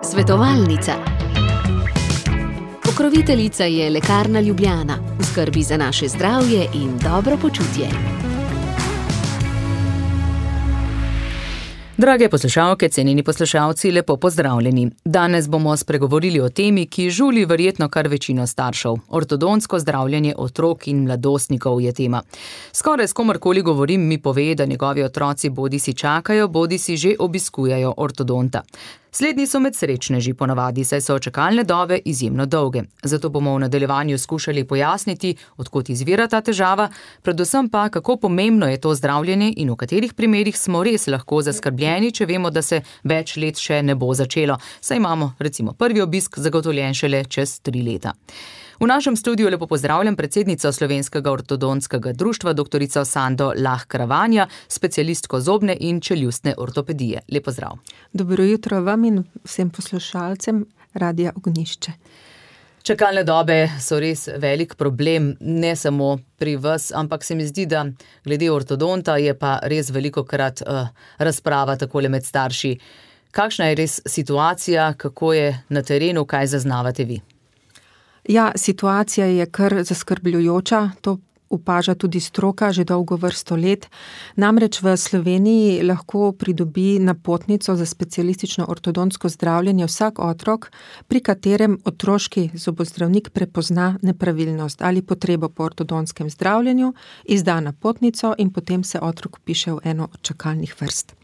Svetovalnica. Pokroviteljica je Lekarna Ljubljana, v skrbi za naše zdravje in dobro počutje. Drage poslušalke, cenjeni poslušalci, lepo pozdravljeni. Danes bomo spregovorili o temi, ki žuli verjetno kar večino staršev. Ortodontsko zdravljenje otrok in mladostnikov je tema. Skoraj s komorkoli govorim, mi pove, da njegovi otroci bodisi čakajo, bodisi že obiskujejo ortodonta. Slednji so med srečneži ponavadi, saj so čakalne dobe izjemno dolge. Zato bomo v nadaljevanju skušali pojasniti, od kod izvira ta težava, predvsem pa, kako pomembno je to zdravljenje in v katerih primerih smo res lahko zaskrbljeni, če vemo, da se več let še ne bo začelo, saj imamo recimo prvi obisk zagotovljen šele čez 3 leta. V našem studiu lepo pozdravljam predsednico Slovenskega ortodontskega društva, doktorico Sando Lah Kravanja, specialistko zobne in čeljustne ortopedije. Lep pozdrav. Dobro jutro vam in vsem poslušalcem Radia Ognjišče. Čakalne dobe so res velik problem, ne samo pri vas, ampak se mi zdi, da glede ortodonta je pa res velikokrat razprava takole med starši. Kakšna je res situacija, kako je na terenu, kaj zaznavate vi? Ja, situacija je kar zaskrbljujoča, to opaža tudi stroka že dolgo vrsto let. Namreč v Sloveniji lahko pridobi napotnico za specialistično ortodontsko zdravljenje vsak otrok, pri katerem otroški zobozdravnik prepozna nepravilnost ali potrebo po ortodontskem zdravljenju, izda napotnico in potem se otrok vpiše v eno od čakalnih vrst.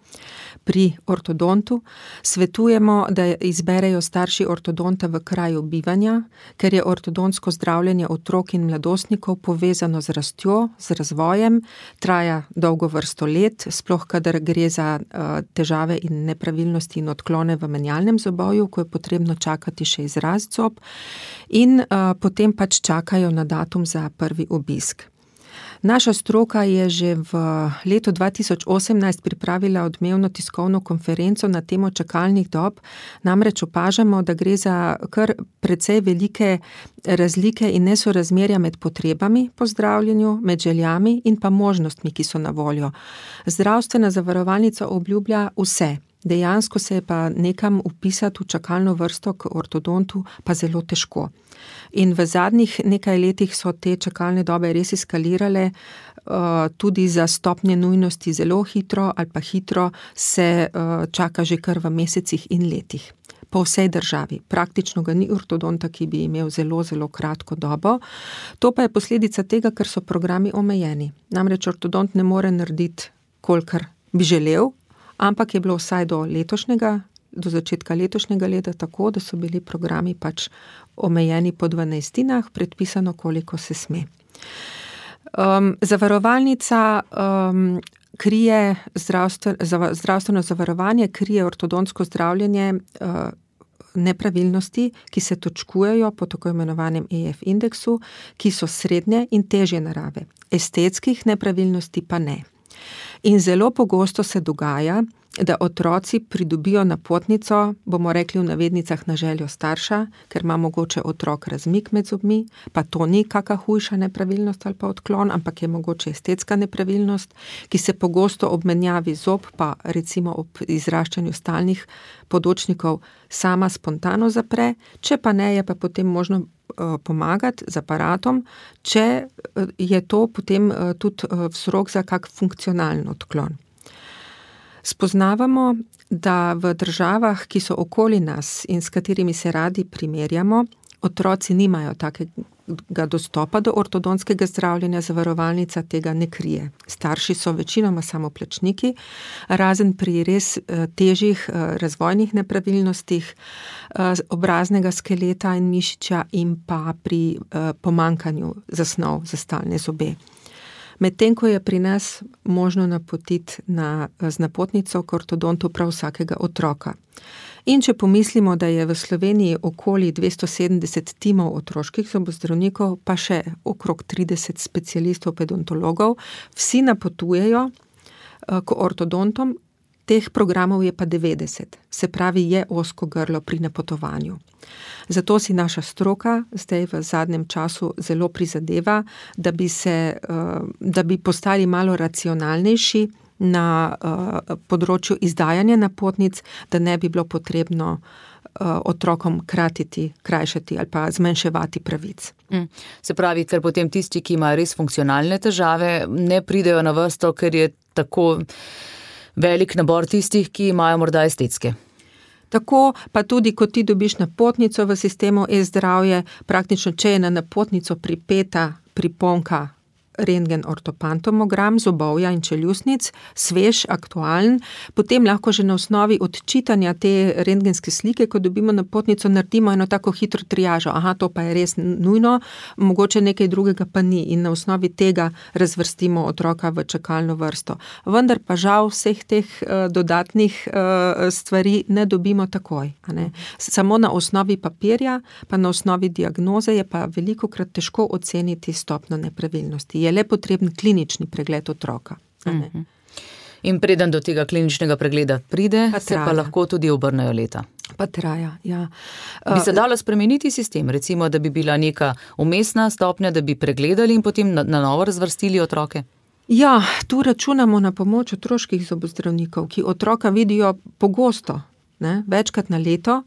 Pri ortodontu svetujemo, da izberejo starši ortodonta v kraju bivanja, ker je ortodontsko zdravljenje otrok in mladostnikov povezano z rastjo, z razvojem, traja dolgo vrsto let, sploh kadar gre za težave in nepravilnosti in odklone v menjalnem zobovju, ko je potrebno čakati še izrast zob, in potem pač čakajo na datum za prvi obisk. Naša stroka je že v letu 2018 pripravila odmevno tiskovno konferenco na temo čakalnih dob, namreč opažamo, da gre za kar precej velike razlike in nesorazmerja med potrebami po zdravljenju, med željami in pa možnostmi, ki so na voljo. Zdravstvena zavarovalnica obljublja vse. Dejansko se je pa nekam vpisati v čakalno vrsto k ortodontu pa zelo težko. In v zadnjih nekaj letih so te čakalne dobe res eskalirale, tudi za stopnje nujnosti zelo hitro ali pa hitro se čaka že kar v mesecih in letih. Po vsej državi. Praktično ga ni ortodonta, ki bi imel zelo, zelo kratko dobo. To pa je posledica tega, ker so programi omejeni. Namreč ortodont ne more narediti, kolikor bi želel, ampak je bilo vsaj do začetka letošnjega leta tako, da so bili programi pač omejeni po 12, predpisano, koliko se sme. Zavarovalnica krije zdravstveno zavarovanje, krije ortodontsko zdravljenje nepravilnosti, ki se točkujejo po tako imenovanem EF indeksu, ki so srednje in težje narave. Estetskih nepravilnosti pa ne. In zelo pogosto se dogaja, da otroci pridobijo napotnico, bomo rekli v navednicah na željo starša, ker ima mogoče otrok razmik med zobmi, pa to ni kaka hujša nepravilnost ali pa odklon, ampak je mogoče estetska nepravilnost, ki se pogosto ob menjavi zob, pa recimo ob izraščanju stalnih podočnikov sama spontano zapre, če pa ne, je pa potem možno pomagati z aparatom, če je to potem tudi vzrok za kak funkcionalen odklon. Spoznavamo, da v državah, ki so okoli nas in s katerimi se radi primerjamo, otroci nimajo takega dostopa do ortodontskega zdravljenja, zavarovalnica tega ne krije. Starši so večinoma samoplačniki, razen pri res težjih razvojnih nepravilnostih obraznega skeleta in mišičja in pa pri pomanjkanju zasnov za stalne zobe. Medtem ko je pri nas možno napotiti z napotnico k ortodontu prav vsakega otroka. In če pomislimo, da je v Sloveniji okoli 270 timov otroških zobozdravnikov, pa še okrog 30 specialistov pedontologov, vsi napotujejo k ortodontom, teh programov je pa 90, se pravi, je ozko grlo pri napotovanju. Zato si naša stroka zdaj v zadnjem času zelo prizadeva, da bi postali malo racionalnejši na področju izdajanja napotnic, da ne bi bilo potrebno otrokom krajšati ali pa zmanjševati pravic. Se pravi, ker potem tisti, ki imajo res funkcionalne težave, ne pridejo na vrsto, ker je tako velik nabor tistih, ki imajo morda estetske. Tako pa tudi, ko ti dobiš napotnico v sistemu e-zdravje, praktično, če je na napotnico pripeta priponka rentgen ortopantomogram zobovja in čeljustnic, svež, aktualen, potem lahko že na osnovi odčitanja te rentgenske slike, ko dobimo napotnico, naredimo eno tako hitro triažo. Aha, to pa je res nujno, mogoče nekaj drugega pa ni in na osnovi tega razvrstimo otroka v čakalno vrsto. Vendar pa žal vseh teh dodatnih stvari ne dobimo takoj. Ne? Samo na osnovi papirja, pa na osnovi diagnoze je pa velikokrat težko oceniti stopnjo nepravilnosti. Je le potreben klinični pregled otroka. In preden do tega kliničnega pregleda pride, se pa lahko tudi obrnejo leta. Pa traja, ja. Bi se dalo spremeniti sistem, recimo, da bi bila neka umestna stopnja, da bi pregledali in potem na novo razvrstili otroke? Ja, tu računamo na pomoč otroških zobozdravnikov, ki otroka vidijo pogosto, ne, večkrat na leto.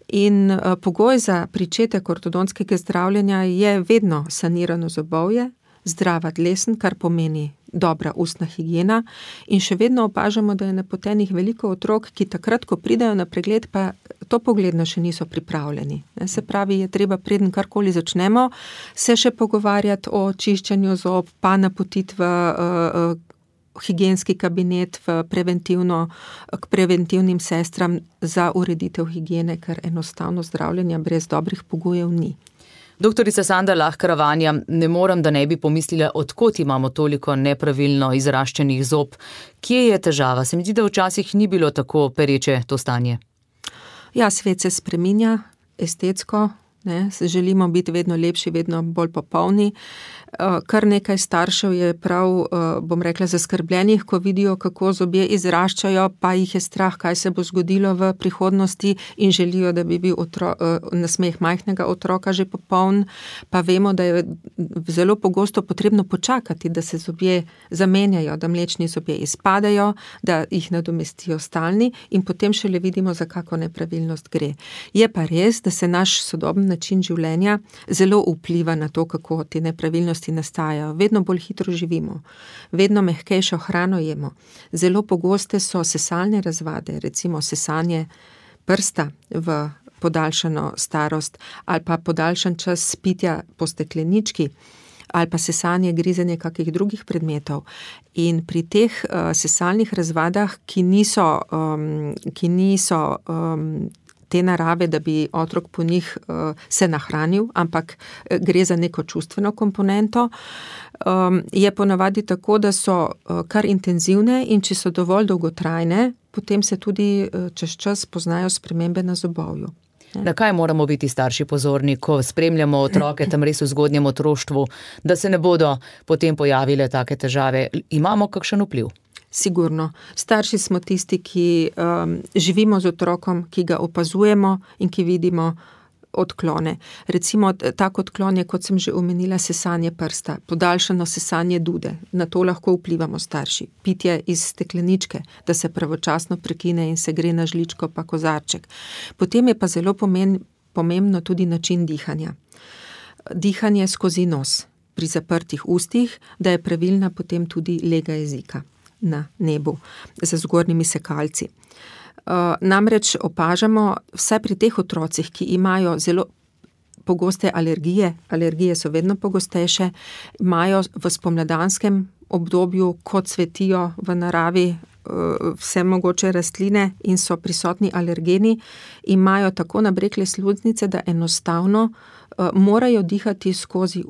In pogoj za pričetek ortodontskega zdravljenja je vedno sanirano zobovje, zdrava dlesn, kar pomeni dobra ustna higiena, in še vedno opažamo, da je napotenih veliko otrok, ki takrat, ko pridejo na pregled, pa to pogledno še niso pripravljeni. Se pravi, je treba, preden karkoli začnemo, se še pogovarjati o čiščenju zob, pa napotiti v higienski kabinet, k preventivnim sestram za ureditev higiene, ker enostavno zdravljenja brez dobrih pogojev ni. Doktorica Sanda Lah Karavanja, ne morem, da ne bi pomislila, odkot imamo toliko nepravilno izraščenih zob. Kje je težava? Se mi zdi, da včasih ni bilo tako pereče to stanje. Ja, svet se spreminja, estetsko, ne, želimo biti vedno lepši, vedno bolj popolni. Kar nekaj staršev je prav, bom rekla, zaskrbljenih, ko vidijo, kako zobje izraščajo, pa jih je strah, kaj se bo zgodilo v prihodnosti in želijo, da bi bil nasmeh majhnega otroka že popoln, pa vemo, da je zelo pogosto potrebno počakati, da se zobje zamenjajo, da mlečni zobje izpadejo, da jih nadomestijo stalni in potem šele vidimo, za kako nepravilnost gre. Je pa res, da se naš sodoben način življenja zelo vpliva na to, kako te nepravilnosti nastajajo. Vedno bolj hitro živimo, vedno mehkejšo hrano jemo. Zelo pogoste so sesalne razvade, recimo sesanje prsta v podaljšano starost ali pa podaljšan čas pitja po steklenički ali pa sesanje, grizenje kakih drugih predmetov. In pri teh sesalnih razvadah, ki niso te narave, da bi otrok po njih se nahranil, ampak gre za neko čustveno komponento, je ponavadi tako, da so kar intenzivne in če so dovolj dolgotrajne, potem se tudi čez čas poznajo spremembe na zobovju. Na kaj moramo biti starši pozorni, ko spremljamo otroke tam res v zgodnjem otroštvu, da se ne bodo potem pojavile take težave? Imamo kakšen vpliv? Sigurno. Starši smo tisti, ki živimo z otrokom, ki ga opazujemo in ki vidimo odklone. Recimo, tak odklon je, kot sem že omenila, sesanje prsta, podaljšano sesanje dude. Na to lahko vplivamo starši. Pitje iz stekleničke, da se pravočasno prekine in se gre na žličko pa kozarček. Potem je pa zelo pomembno tudi način dihanja. Dihanje skozi nos pri zaprtih ustih, da je pravilna potem tudi lega jezika na nebu za zgornjimi sekalci. Namreč opažamo vse pri teh otrocih, ki imajo zelo pogoste alergije so vedno pogostejše, imajo v spomladanskem obdobju, ko cvetijo v naravi vse mogoče rastline in so prisotni alergeni, imajo tako nabrekle sluznice, da enostavno morajo dihati skozi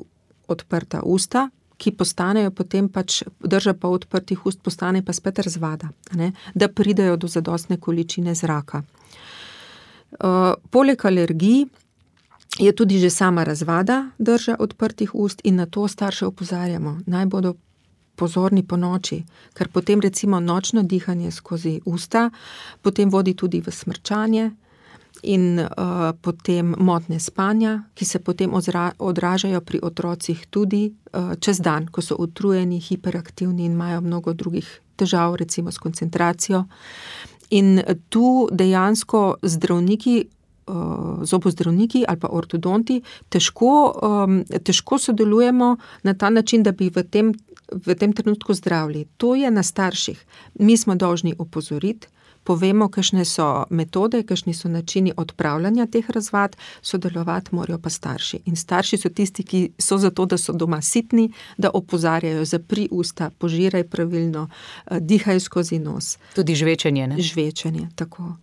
odprta usta, ki postanejo potem drža pa odprtih ust postane pa spet razvada, ne, da pridejo do zadostne količine zraka. Poleg alergij je tudi že sama razvada drža odprtih ust in na to starše opozarjamo. Naj bodo pozorni po noči, ker potem recimo nočno dihanje skozi usta potem vodi tudi v smrčanje in potem motnje spanja, ki se potem odražajo pri otrocih tudi čez dan, ko so utrujeni, hiperaktivni in imajo mnogo drugih težav, recimo s koncentracijo. In tu dejansko zdravniki, zobozdravniki ali pa ortodonti težko sodelujemo na ta način, da bi v tem trenutku zdravili. To je na starših. Mi smo dolžni opozoriti, povemo, kakšne so metode, kakšni so načini odpravljanja teh razvad, sodelovati morajo pa starši. In starši so tisti, ki so zato, da so doma sitni, da opozarjajo, zapri usta, požiraj pravilno, dihaj skozi nos. Tudi žvečenje, ne? Žvečenje, tako.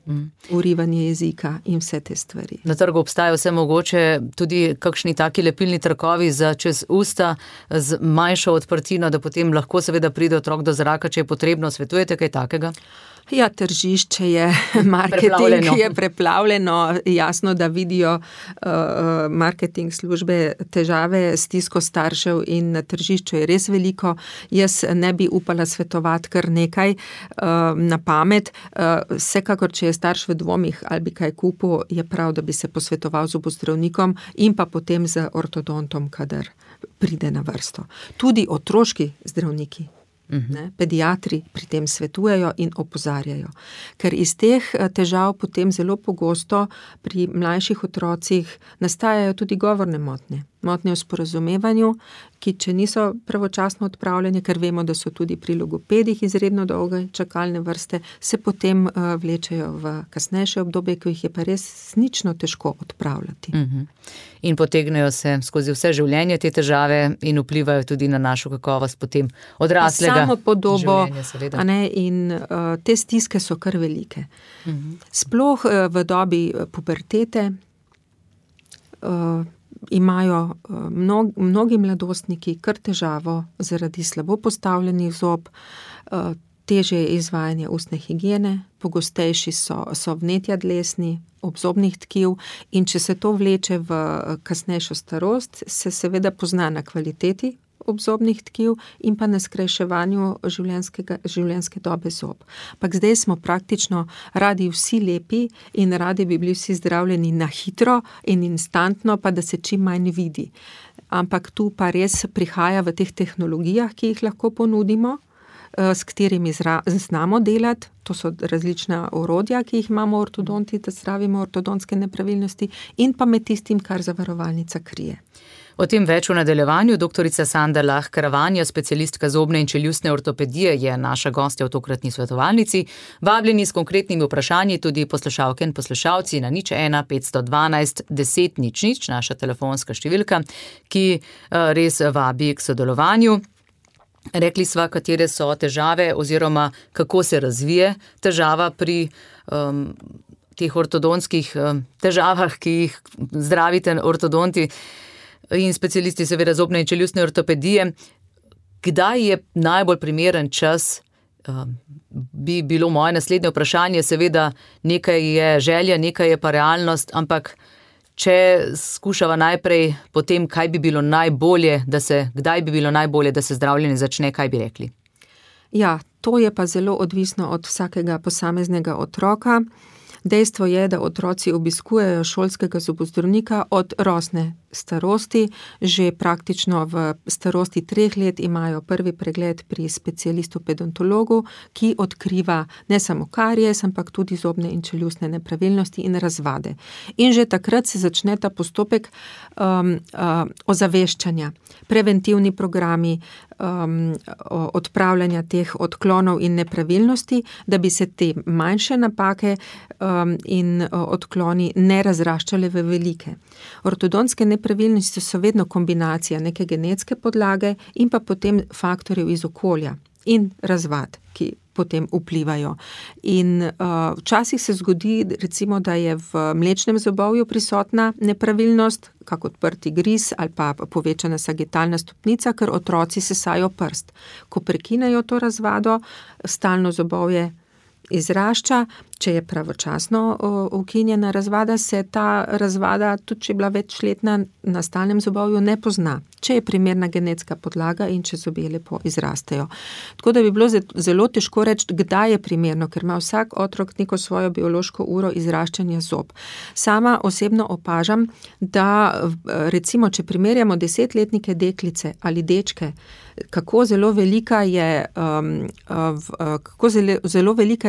Urivanje jezika in vse te stvari. Na trgu obstajajo vse mogoče tudi kakšni taki lepilni trakovi za čez usta z manjšo odprtino, da potem lahko seveda pride otrok do zraka, če je potrebno. Svetujete kaj takega? Ja, tržišče je, marketing je preplavljeno, jasno, da vidijo marketing službe težave, stisko staršev in na tržišču je res veliko. Jaz ne bi upala svetovati kar nekaj na pamet. Vsekakor, če je starš v dvomih ali bi kaj kupil, je prav, da bi se posvetoval z zobozdravnikom in pa potem z ortodontom, kadar pride na vrsto. Tudi otroški zdravniki. Pediatri pri tem svetujejo in opozarjajo. Ker iz teh težav potem zelo pogosto pri mlajših otrocih nastajajo tudi govorne motnje. Motnje v sporazumevanju, ki če niso pravočasno odpravljene, ker vemo, da so tudi pri logopedih izredno dolge čakalne vrste, se potem vlečejo v kasnejše obdobje, ki jih je pa res nično težko odpravljati. In potegnejo se skozi vse življenje te težave in vplivajo tudi na našo kakovost potem odraslega samopodobo, življenja, seveda. In te stiske so kar velike. Sploh v dobi pubertete imajo mnogi mladostniki kar težavo zaradi slabo postavljenih zob, težje je izvajanje ustne higiene, pogostejši so vnetja dlesni, obzobnih tkiv in če se to vleče v kasnejšo starost, se seveda pozna na kvaliteti obzobnih tkiv in pa na skrajševanju življenjske dobe zob. Ampak zdaj smo praktično radi vsi lepi in radi bi bili vsi zdravljeni na hitro in instantno, pa da se čim manj vidi. Ampak tu pa res prihaja v teh tehnologijah, ki jih lahko ponudimo, s katerimi znamo delati, to so različna orodja, ki jih imamo ortodonti, da zdravimo ortodontske nepravilnosti in pa med tistim, kar zavarovalnica krije. O tem več v nadaljevanju. Doktorica Sanda Lah Karavanja, specialistka zobne in čeljustne ortopedije, je naša gostja v tokratni svetovalnici. Vabljeni s konkretnimi vprašanji tudi poslušalke in poslušalci na 01 512 10 00, naša telefonska številka, ki res vabi k sodelovanju. Rekli sva, katere so težave oziroma kako se razvije težava pri teh ortodontskih težavah, ki jih zdravite ortodonti in specialisti seveda zobne in čeljustne ortopedije. Kdaj je najbolj primeren čas? Bi bilo moje naslednje vprašanje, seveda nekaj je želja, nekaj je pa realnost, ampak če skušava najprej potem, kdaj bi bilo najbolje, da se zdravljenje začne, kaj bi rekli? Ja, to je pa zelo odvisno od vsakega posameznega otroka. Dejstvo je, da otroci obiskujejo šolskega zobozdravnika od rosne starosti, že praktično v starosti 3 let imajo prvi pregled pri specialistu pedontologu, ki odkriva ne samo karies, ampak tudi zobne in čeljustne nepravilnosti in razvade. In že takrat se začne ta postopek ozaveščanja, preventivni programi, odpravljanja teh odklonov in nepravilnosti, da bi se te manjše napake in odkloni ne razraščale v velike. Ortodontske nepravilnosti so vedno kombinacija neke genetske podlage in pa potem faktorjev iz okolja in razvad, ki potem vplivajo. In včasih se zgodi, recimo, da je v mlečnem zobovju prisotna nepravilnost, kak odprti gris ali pa povečana sagitalna stopnica, ker otroci sesajo prst. Ko prekinejo to razvado, stalno zobovje izrašča, če je pravočasno ukinjena razvada, se ta razvada, tudi če je bila večletna na stalnem zobovju, ne pozna, če je primerna genetska podlaga in če zobje lepo izrastejo. Tako da bi bilo zelo težko reči, kdaj je primerno, ker ima vsak otrok neko svojo biološko uro izraščanja zob. Sama osebno opažam, da recimo, če primerjamo 10-letnike deklice ali dečke, kako zelo velika je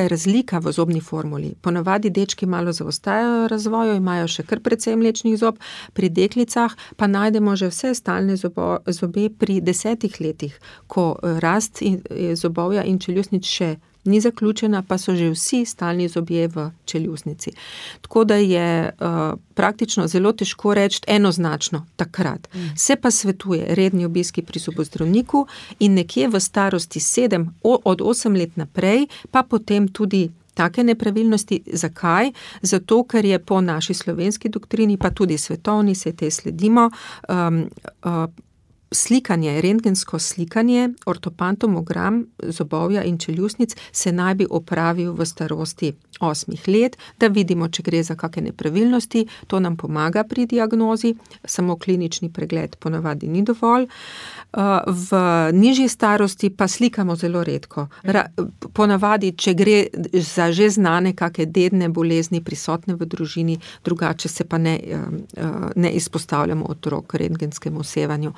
razlika v zobni formuli. Ponavadi dečki malo zaostajajo razvoju, imajo še kar precej mlečnih zob, pri deklicah pa najdemo že vse stalne zobe pri 10 letih, ko rast zobovja in čeljustnic še ni zaključena, pa so že vsi stalni zobje v čeljustnici. Tako da je praktično zelo težko reči enoznačno takrat. Se pa svetuje redni obiski pri zobozdravniku in nekje v starosti 7, od 8 let naprej, pa potem tudi take nepravilnosti. Zakaj? Zato, ker je po naši slovenski doktrini, pa tudi svetovni, se te sledimo, slikanje, rentgensko slikanje, ortopantomogram zobovja in čeljustnic se naj bi opravil v starosti 8 let, da vidimo, če gre za kakšne nepravilnosti. To nam pomaga pri diagnozi, samo klinični pregled ponavadi ni dovolj. V nižji starosti pa slikamo zelo redko. Ponavadi, če gre za že znane kakšne dedne bolezni prisotne v družini, drugače se pa ne izpostavljamo otrok rentgenskemu sevanju.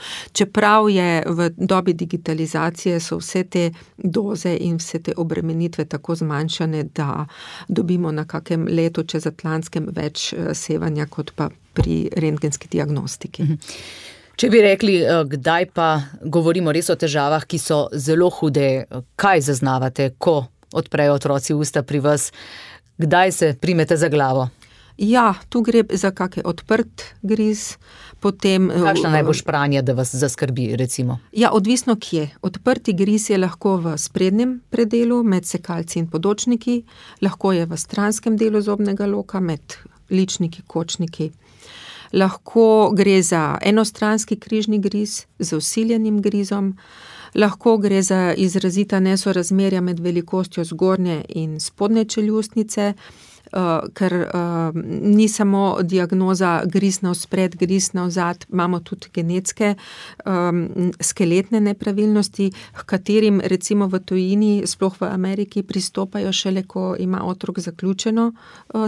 Čeprav je v dobi digitalizacije so vse te doze in vse te obremenitve tako zmanjšane, da dobimo na kakem letu čezatlantskem več sevanja, kot pa pri rentgenski diagnostiki. Če bi rekli, kdaj pa govorimo res o težavah, ki so zelo hude, kaj zaznavate, ko odprejo otroci usta pri vas, kdaj se primete za glavo? Ja, tu gre za kakšen odprt griz, potem... Kakšna naj bo špranja, da vas zaskrbi, recimo? Ja, odvisno kje. Odprti griz je lahko v sprednjem predelu, med sekalci in podočniki, lahko je v stranskem delu zobnega loka, med ličniki, kočniki. Lahko gre za enostranski križni griz z vsiljenim grizom, lahko gre za izrazita nesorazmerja med velikostjo zgornje in spodnje čeljustnice, ker ni samo diagnoza griz navspred, griz navzad, imamo tudi genetske skeletne nepravilnosti, k katerim recimo v tujini, sploh v Ameriki, pristopajo šele, ko ima otrok zaključeno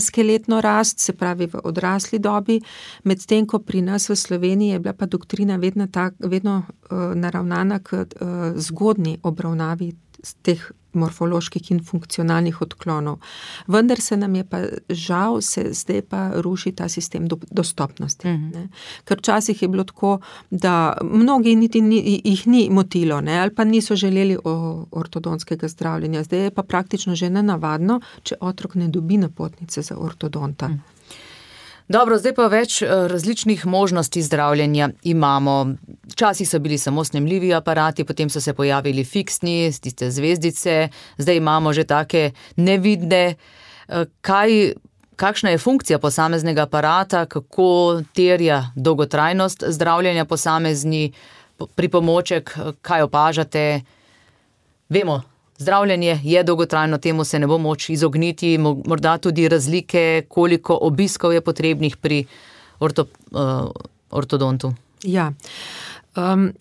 skeletno rast, se pravi v odrasli dobi, medtem ko pri nas v Sloveniji je bila pa doktrina vedno naravnana k zgodnji obravnavi teh morfoloških in funkcionalnih odklonov. Vendar se nam je pa žal, zdaj pa ruši ta sistem dostopnosti. Ne? Ker včasih je bilo tako, da mnogi niti jih ni motilo, ne? Ali pa niso želeli ortodontskega zdravljenja. Zdaj je pa praktično že nenavadno, če otrok ne dobi napotnice za ortodonta. Dobro, zdaj pa več različnih možnosti zdravljenja imamo. Včasih so bili samo snemljivi aparati, potem so se pojavili fiksni, tiste zvezdice, zdaj imamo že take nevidne. Kakšna je funkcija posameznega aparata, kako terja dolgotrajnost zdravljenja posamezni pripomoček, kaj opažate? Vemo, zdravljenje je dolgotrajno, temu se ne bo moč izogniti, morda tudi razlike, koliko obiskov je potrebnih pri ortodontu. Ja,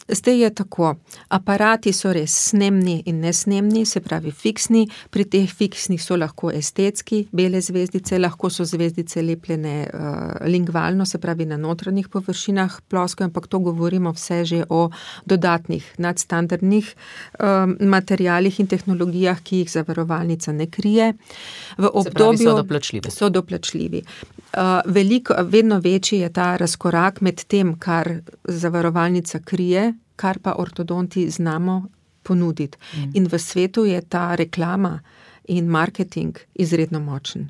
zdaj je tako, aparati so res snemni in nesnemni, se pravi fiksni, pri teh fiksnih so lahko estetski, bele zvezdice, lahko so zvezdice lepljene lingvalno, se pravi na notranjih površinah plosko, ampak to govorimo vse že o dodatnih nadstandardnih materialih in tehnologijah, ki jih zavarovalnica ne krije. V obdobju se pravi, so doplačljivi. Vedno večji je ta razkorak med tem, kar zavarovalnica krije, kar pa ortodonti znamo ponuditi. In v svetu je ta reklama in marketing izredno močen.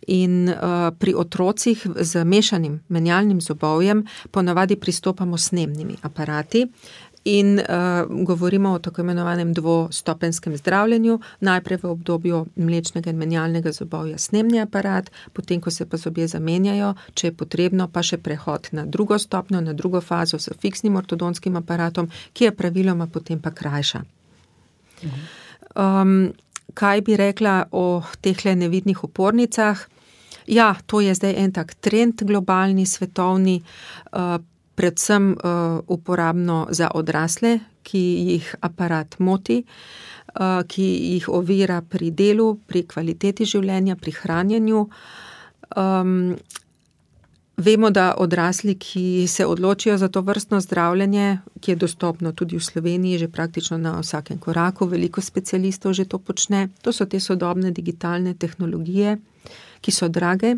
In pri otrocih z mešanim menjalnim zobovjem ponavadi pristopamo s snemnimi aparati in govorimo o tako imenovanem dvostopenskem zdravljenju, najprej v obdobju mlečnega in menjalnega zobovja snemni aparat, potem, ko se pa zobje zamenjajo, če je potrebno, pa še prehod na drugo stopnjo, na drugo fazo s fiksnim ortodonskim aparatom, ki je praviloma potem pa krajša. kaj bi rekla o tehle nevidnih opornicah? Ja, to je zdaj en tak trend globalni, svetovni, predvsem uporabno za odrasle, ki jih aparat moti, ki jih ovira pri delu, pri kvaliteti življenja, pri hranjenju. Vemo, da odrasli, ki se odločijo za to vrstno zdravljenje, ki je dostopno tudi v Sloveniji, že praktično na vsakem koraku, veliko specialistov že to počne. To so te sodobne digitalne tehnologije, ki so drage,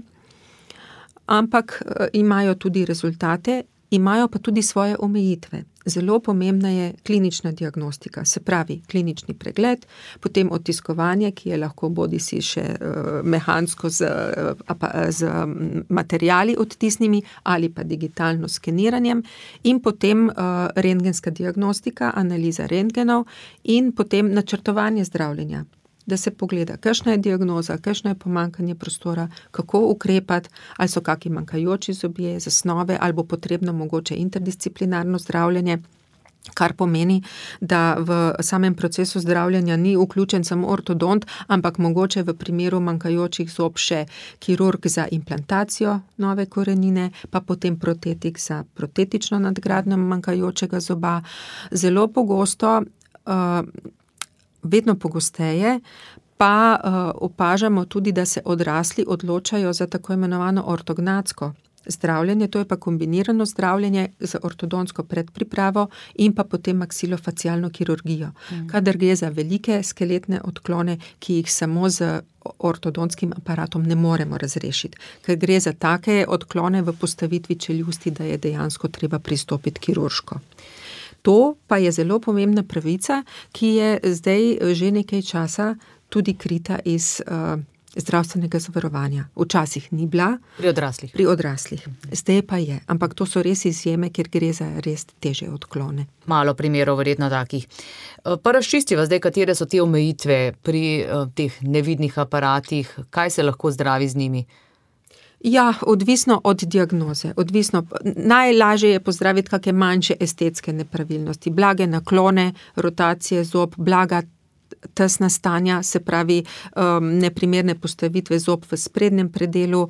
ampak imajo tudi rezultate, imajo pa tudi svoje omejitve. Zelo pomembna je klinična diagnostika, se pravi klinični pregled, potem odtiskovanje, ki je lahko bodisi še mehansko z materiali odtisnimi ali pa digitalno skeniranjem in potem rentgenska diagnostika, analiza rentgenov in potem načrtovanje zdravljenja. Da se pogleda, kakšna je diagnoza, kakšno je pomanjkanje prostora, kako ukrepati, ali so kakšni manjkajoči zobje, zasnove, ali bo potrebno mogoče interdisciplinarno zdravljenje, kar pomeni, da v samem procesu zdravljenja ni vključen samo ortodont, ampak mogoče v primeru manjkajočih zob še kirurg za implantacijo nove korenine, pa potem protetik za protetično nadgradnjo manjkajočega zoba. Zelo pogosto, vedno pogosteje, pa opažamo tudi, da se odrasli odločajo za tako imenovano ortognatsko zdravljenje, to je pa kombinirano zdravljenje z ortodontsko predpripravo in pa potem maksilofacialno kirurgijo. Kadar gre za velike skeletne odklone, ki jih samo z ortodontskim aparatom ne moremo razrešiti, ker gre za take odklone v postavitvi čeljusti, da je dejansko treba pristopiti kirurško. To pa je zelo pomembna pravica, ki je zdaj že nekaj časa tudi krita iz zdravstvenega zavarovanja. Včasih ni bila. Pri odraslih. Zdaj pa je. Ampak to so res izjeme, ker gre za res težje odklone. Malo primerov verjetno takih. Pa razčistiva zdaj, katere so te omejitve pri teh nevidnih aparatih, kaj se lahko zdravi z njimi? Ja, odvisno od diagnoze. Najlažje je pozdraviti kakšne manjše estetske nepravilnosti, blage naklone, rotacije zob, blaga tesna stanja, se pravi neprimerne postavitve zob v sprednjem predelu.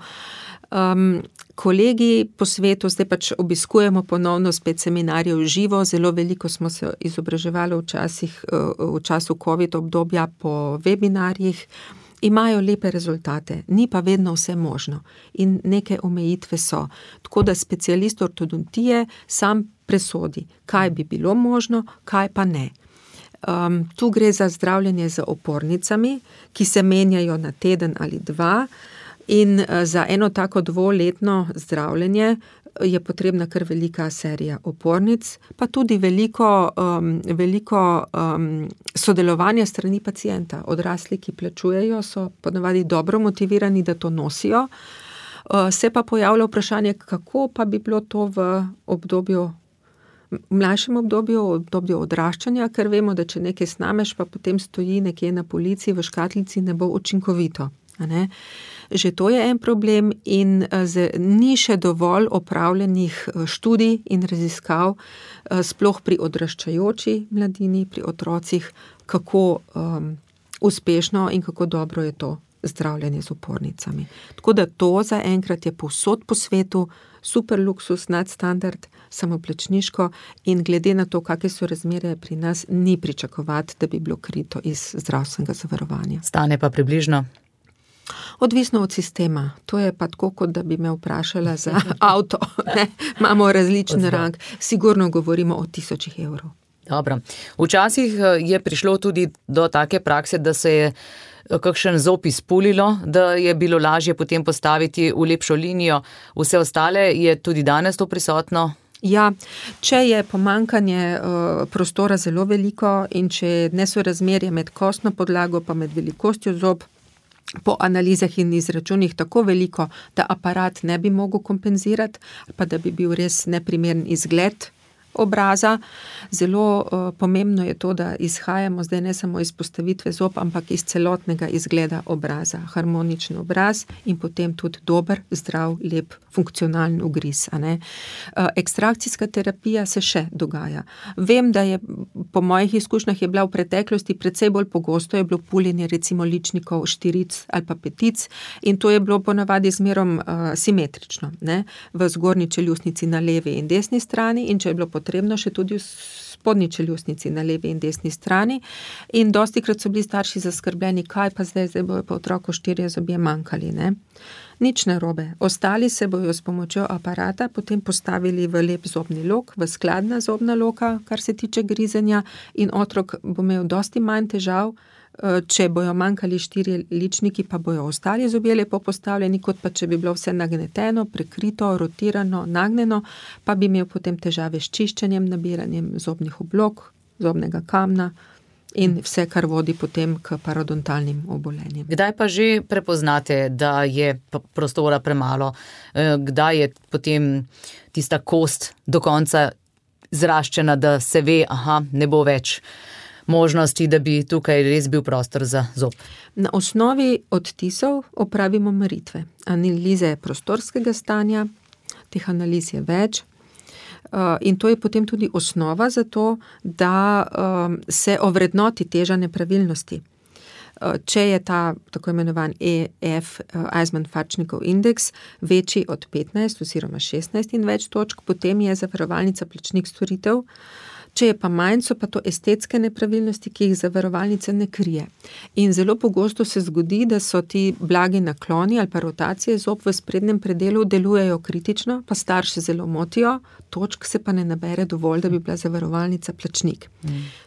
Kolegi po svetu, zdaj pač obiskujemo ponovno spet seminarje v živo, zelo veliko smo se izobraževali v času COVID obdobja po webinarjih, imajo lepe rezultate, ni pa vedno vse možno in neke omejitve so. Tako da specialist ortodontije sam presodi, kaj bi bilo možno, kaj pa ne. Tu gre za zdravljenje z opornicami, ki se menjajo na teden ali dva in za eno tako dvoletno zdravljenje je potrebna kar velika serija opornic, pa tudi veliko sodelovanja strani pacienta. Odrasli, ki plačujejo, so ponavadi dobro motivirani, da to nosijo. Se pa pojavlja vprašanje, kako pa bi bilo to v mlajšem obdobju, v obdobju odraščanja, ker vemo, da če nekaj snameš, pa potem stoji nekje na polici v škatlici, ne bo učinkovito. Ne? Že to je en problem in ni še dovolj opravljenih študij in raziskav, sploh pri odraščajoči mladini, pri otrocih, kako uspešno in kako dobro je to zdravljenje z opornicami. Tako da to zaenkrat je povsod po svetu, super luksus, nadstandard, samoplačniško in glede na to, kakšne so razmere pri nas, ni pričakovati, da bi bilo krito iz zdravstvenega zavarovanja. Stane pa približno? Odvisno od sistema. To je pa tako, kot da bi me vprašala za avto. Ne? Imamo različen rang. Sigurno govorimo o 1000 evrov. Dobro. Včasih je prišlo tudi do take prakse, da se je kakšen zob izpulilo, da je bilo lažje potem postaviti v lepšo linijo. Vse ostale je tudi danes to prisotno? Ja, če je pomanjkanje prostora zelo veliko in če je nesorazmerje med kostno podlago pa med velikostjo zob po analizah in izračunih tako veliko, da aparat ne bi mogel kompenzirati, pa da bi bil res neprimeren izgled obraza. Zelo pomembno je to, da izhajamo zdaj ne samo iz postavitve zob, ampak iz celotnega izgleda obraza. Harmonični obraz in potem tudi dober, zdrav, lep, funkcionalen ugriz. Ekstrakcijska terapija se še dogaja. Vem, da je po mojih izkušnjah je bila v preteklosti precej bolj pogosto, je bilo puljenje recimo ličnikov štiric ali pa petic in to je bilo ponavadi zmerom simetrično, ne? V zgornji čeljustnici na levi in desni strani in če je bilo potrebno še tudi v spodnji čeljustnici na levi in desni strani in dostikrat so bili starši zaskrbljeni, kaj pa zdaj bojo pa otroku 4 zobje manjkali, ne? Nič narobe. Ostali se bojo s pomočjo aparata potem postavili v lep zobni lok, v skladna zobna loka, kar se tiče grizenja in otrok bo imel dosti manj težav, če bojo manjkali 4 ličniki, pa bojo ostali zobje lepo postavljeni, kot pa če bi bilo vse nagneteno, prekrito, rotirano, nagnjeno, pa bi imel potem težave s čiščenjem, nabiranjem zobnih oblog, zobnega kamna in vse, kar vodi potem k parodontalnim obolenjem. Kdaj pa že prepoznate, da je prostora premalo? Kdaj je potem tista kost do konca zraščena, da se ve, ne bo več možnosti, da bi tukaj res bil prostor za zob? Na osnovi odtisov opravimo meritve. Analize prostorskega stanja, teh analiz je več. In to je potem tudi osnova za to, da se ovrednoti teža nepravilnosti. Če je ta tako imenovan EF, Eismann-Farčnikov indeks, večji od 15 oziroma 16 in več točk, potem je zavarovalnica plačnik storitev. Če je pa manj, so pa to estetske nepravilnosti, ki jih zavarovalnica ne krije. In zelo pogosto se zgodi, da so ti blagi nakloni ali pa rotacije zob v sprednjem predelu delujejo kritično, pa starše zelo motijo, točk se pa ne nabere dovolj, da bi bila zavarovalnica plačnik.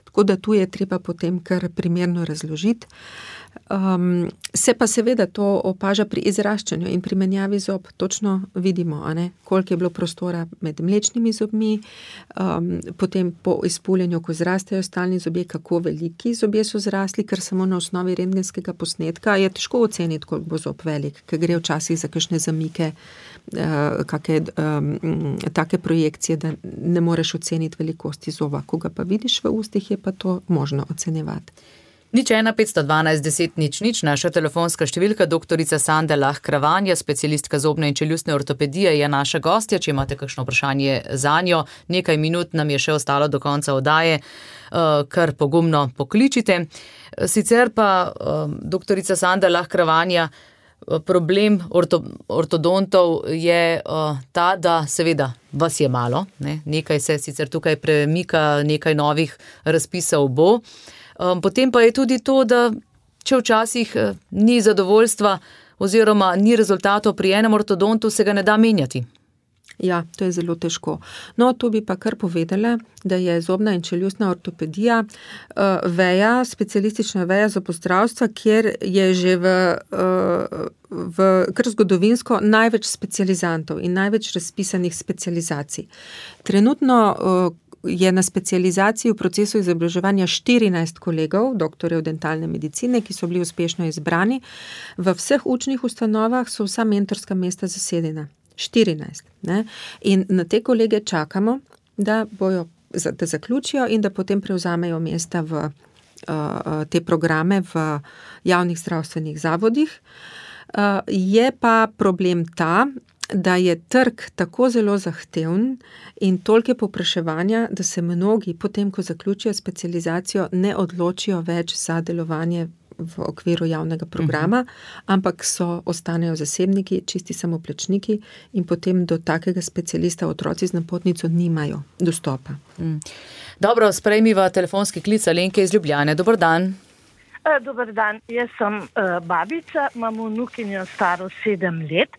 Tako da tu je treba potem kar primerno razložiti. Se pa seveda to opaža pri izraščanju in pri menjavi zob. Točno vidimo, koliko je bilo prostora med mlečnimi zobmi, potem po izpuljenju, ko zrastejo stalni zobje, kako veliki zobje so zrasli, ker samo na osnovi rentgenskega posnetka je težko oceniti, koliko bo zob velik, ker gre včasih za kakšne zamike, take projekcije, da ne moreš oceniti velikosti zoba. Ko ga pa vidiš v ustih, je pa to možno ocenjevati. 015121000, naša telefonska številka, doktorica Sanda Lah Kravanja, specialistka zobne in čeljustne ortopedije, je naša gostja. Če imate kakšno vprašanje zanjo, nekaj minut nam je še ostalo do konca oddaje, kar pogumno pokličite. Sicer pa, doktorica Sanda Lah Kravanja, problem ortodontov je ta, da seveda vas je malo, nekaj se sicer tukaj premika, nekaj novih razpisov bo. Potem pa je tudi to, da če včasih ni zadovoljstva oziroma ni rezultatov pri enem ortodontu, se ga ne da menjati. Ja, to je zelo težko. No, to bi pa kar povedala, da je zobna in čeljustna ortopedija veja, specialistična veja zobozdravstva, kjer je že v kar zgodovinsko največ specializantov in največ razpisanih specializacij. Trenutno je na specializaciji v procesu izobraževanja 14 kolegov, doktorjev dentalne medicine, ki so bili uspešno izbrani. V vseh učnih ustanovah so vsa mentorska mesta zasedena. 14. Ne? In na te kolege čakamo, da zaključijo in da potem prevzamejo mesta v te programe v javnih zdravstvenih zavodih. Je pa problem ta, da je trg tako zelo zahteven in toliko povpraševanja, da se mnogi potem, ko zaključijo specializacijo, ne odločijo več za delovanje v okviru javnega programa, ampak ostanejo zasebniki, čisti samoplačniki in potem do takega specialista otroci z napotnico nimajo dostopa. Dobro, sprejmiva telefonski klic Alenke iz Ljubljane. Dober dan. Dober dan, jaz sem babica, imam vnukinjo staro 7 let.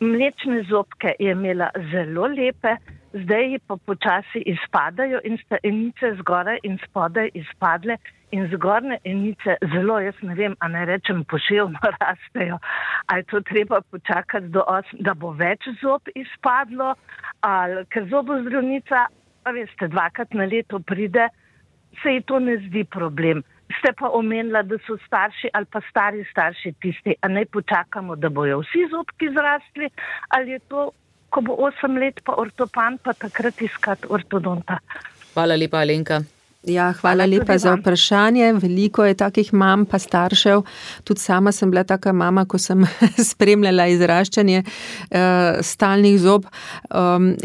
Mlečne zobke je imela zelo lepe, zdaj ji pa počasi izpadajo in sta enice zgoraj in spodaj izpadle in zgornje enice zelo, jaz ne vem, a ne rečem poševno rastejo. A je to treba počakati da bo več zob izpadlo, ali ker zobozdravnica, veste, 2-krat na leto pride, se ji to ne zdi problem. Ste pa omenila, da so starši ali pa stari starši tisti, a naj počakamo, da bojo vsi zobki zrastli, ali je to ko bo 8 let pa ortopan, pa takrat iskati ortodonta. Hvala lepa, Alenka. Ja, hvala lepa za vprašanje. Veliko je takih mam pa staršev. Tudi sama sem bila taka mama, ko sem spremljala izraščanje stalnih zob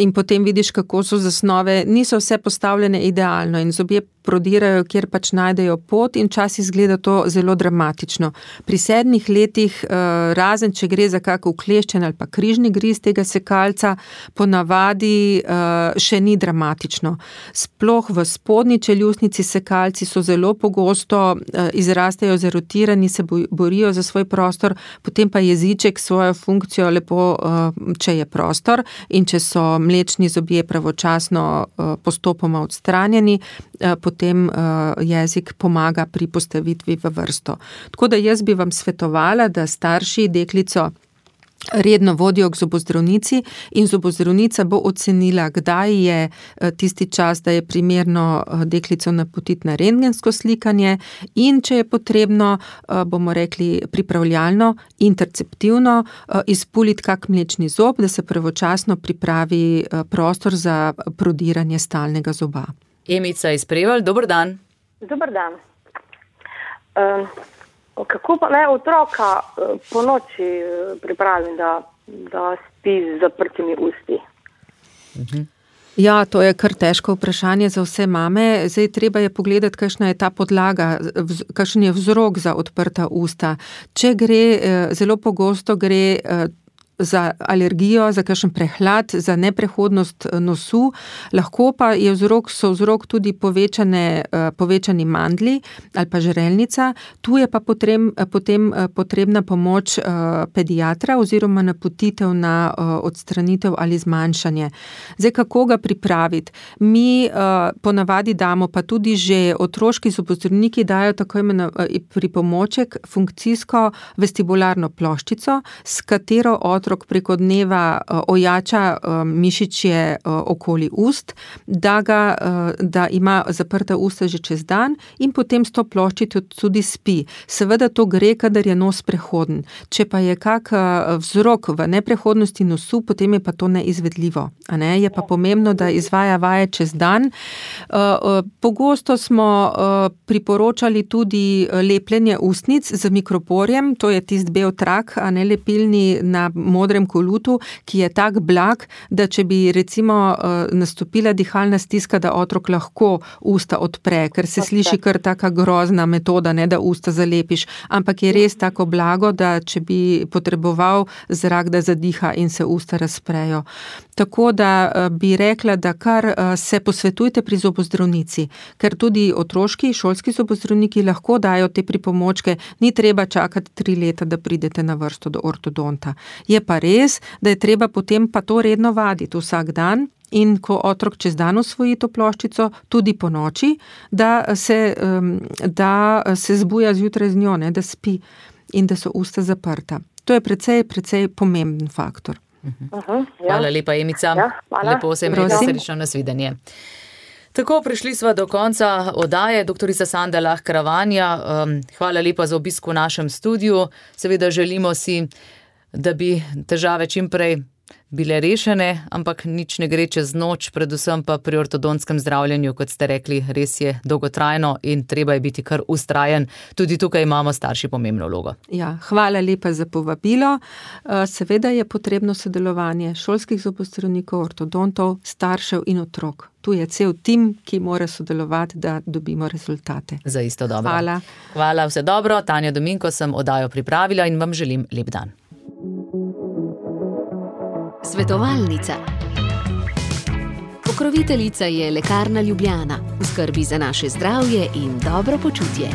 in potem vidiš, kako so zasnove. Niso vse postavljene idealno in zobje prodirajo, kjer pač najdejo pot in včasih izgleda to zelo dramatično. Pri 7 letih, razen če gre za kak ukleščen ali pa križni griz tega sekalca, ponavadi še ni dramatično. Sploh v spodnji čeljustnici sekalci so zelo pogosto, izrastejo zarotirani, se borijo za svoj prostor, potem pa jeziček svojo funkcijo lepo, če je prostor in če so mlečni zobje pravočasno postopoma odstranjeni, potem jezik pomaga pri postavitvi v vrsto. Tako da jaz bi vam svetovala, da starši deklico redno vodijo k zobozdravnici in zobozdravnica bo ocenila, kdaj je tisti čas, da je primerno deklico napotiti na rentgensko slikanje in če je potrebno, bomo rekli pripravljalno, interceptivno, izpuliti kak mlečni zob, da se pravočasno pripravi prostor za prodiranje stalnega zoba. Emica iz Prevalj, dober dan. Dober dan. Kako pa naj otroka po noči pripravim, da spi z zaprtimi usti? Ja, to je kar težko vprašanje za vse mame. Zdaj treba je pogledati, kakšna je ta podlaga, kakšen je vzrok za odprta usta. Če gre, zelo pogosto gre za alergijo, za kakšen prehlad, za neprehodnost nosu, lahko pa so vzrok tudi povečani mandli ali pa žrelnica. Tu je pa potem potrebna pomoč pediatra oziroma napotitev na odstranitev ali zmanjšanje. Zdaj, kako ga pripraviti? Mi ponavadi damo, pa tudi že otroški zobozdravniki dajo tako imenovani pripomoček, funkcijsko vestibularno ploščico, s katero otrok preko dneva ojača mišičje okoli ust, da ima zaprta usta že čez dan in potem s to ploščico tudi spi. Seveda to gre, kadar je nos prehoden. Če pa je kak vzrok v neprehodnosti nosu, potem je pa to neizvedljivo. Je pa pomembno, da izvaja vaje čez dan. Pogosto smo priporočali tudi lepljenje ustnic z mikroporjem, to je tisti bel trak, lepilni na modrem kolutu, ki je tak blag, da če bi recimo nastopila dihalna stiska, da otrok lahko usta odpre, ker se sliši kar taka grozna metoda, da usta zalepiš, ampak je res tako blago, da če bi potreboval zrak, da zadiha in se usta razprejo. Tako da bi rekla, da kar se posvetujte pri zobozdravnici, ker tudi otroški, šolski zobozdravniki lahko dajo te pripomočke, ni treba čakati 3 leta, da pridete na vrsto do ortodonta. Je pa res, da je treba potem pa to redno vaditi vsak dan in ko otrok čez dan osvoji to ploščico, tudi po noči, da se zbuja zjutraj z njo, da spi in da so usta zaprta. To je precej pomemben faktor. Hvala lepa, Emica. Lepo se imejte, srečno, nasvidenje. Tako, prišli sva do konca oddaje. Doktorica Sanda Lah Kravanja, hvala lepa za obisk v našem studiu. Seveda želimo si, da bi težave čim prej bile rešene, ampak nič ne gre čez noč, predvsem pa pri ortodontskem zdravljenju, kot ste rekli, res je dolgotrajno in treba je biti kar vztrajen. Tudi tukaj imamo starši pomembno vlogo. Ja, hvala lepa za povabilo. Seveda je potrebno sodelovanje šolskih zobozdravnikov, ortodontov, staršev in otrok. Tu je cel tim, ki mora sodelovati, da dobimo rezultate. Za isto dobro. Hvala. Hvala, vse dobro. Tanja Dominko sem oddajo pripravila in vam želim lep dan. Svetovalnica. Pokroviteljica je Lekarna Ljubljana, v skrbi za naše zdravje in dobro počutje.